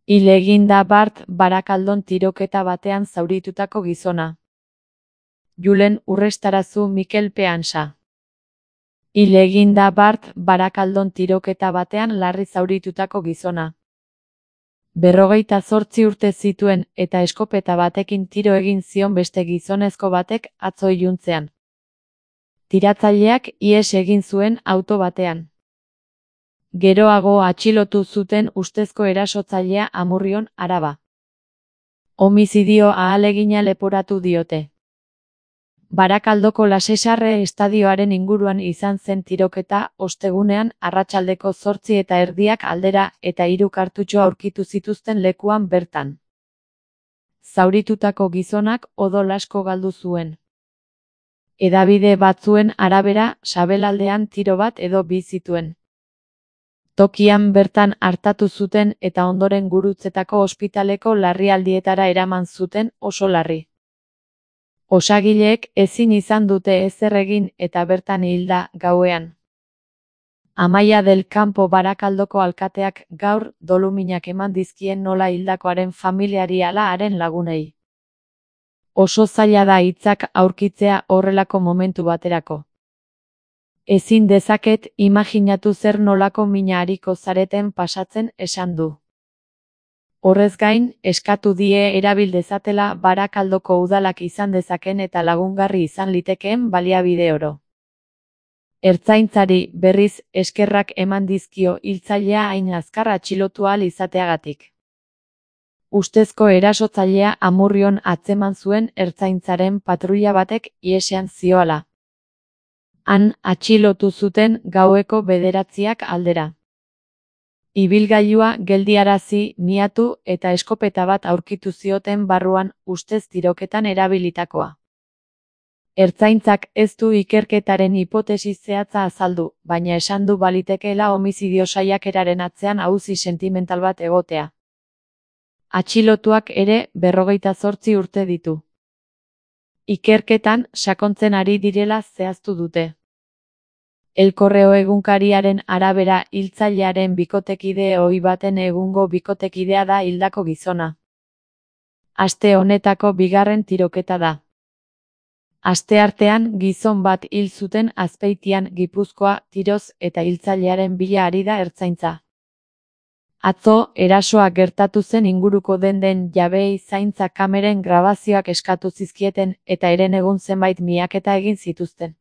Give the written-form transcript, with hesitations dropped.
Hil egin da Bart Barakaldon tiroketa batean zauritutako gizona. Julen Urrestarazu Mikel Peansa. Hil egin da Bart Barakaldon tiroketa batean larri zauritutako gizona. 58 urte zituen eta eskopeta batekin tiro egin zion beste gizonezko batek atzo iluntzean. Tiratzaileak ihes egin zuen auto batean. Geroago atxilotu zuten ustezko erasotzailea Amurrion, Araba. Homizidio ahalegina leporatu diote. Barakaldoko Lasesarre estadioaren inguruan izan zen tiroketa ostegunean arratsaldeko 8:30 aldera eta 3 kartutxo aurkitu zituzten lekuan bertan. Zauritutako gizonak odol asko galdu zuen. Hedabide batzuen arabera, sabelaldean tiro bat edo bi zituen. Tokian bertan artatu zuten eta ondoren Gurutzetako ospitaleko larrialdietara eraman zuten oso larri. Osagileek ezin izan dute ezer egin eta bertan hilda gauean. Amaia del Campo Barakaldoko alkateak gaur doluminak eman dizkien nola hildakoaren familiari ala haren lagunei. Oso zaila da hitzak aurkitzea horrelako momentu baterako. Ezin dezaket imajinatu zer nolako mina ariko zareten pasatzen esan du. Horrez gain, eskatu die erabil dezatela Barakaldoko udalak izan dezaken eta lagungarri izan litekeen baliabide oro. Ertzaintzari, berriz, eskerrak eman dizkio hiltzailea hain azkar atxilotu ahal izateagatik. Ustezko erasotzailea Amurrion atzeman zuen ertzaintzaren patruila batek ihesean zioala. Han atxilotu zuten gaueko 9 aldera. Ibilgailua geldiarazi, miatu eta eskopeta bat aurkitu zioten barruan ustez tiroketan erabilitakoa. Ertzaintzak ez du ikerketaren hipotesi zehatza azaldu, baina esan du balitekeela homizidio saiakeraren atzean auzi sentimental bat egotea. Atxilotuak ere 58 urte ditu. Ikerketan sakontzen ari direla zehaztu dute. El Correo egunkariaren arabera hiltzailearen bikotekide ohi baten egungo bikotekidea da hildako gizona. Aste honetako bigarren tiroketa da. Asteartean gizon bat hil zuten Azpeitian, Gipuzkoa, tiroz eta hiltzailearen bila ari da ertzaintza. Atzo, erasoa gertatu zen inguruko denden jabeei zaintza kameren grabazioak eskatu zizkieten eta herenegun zenbait miaketa egin zituzten.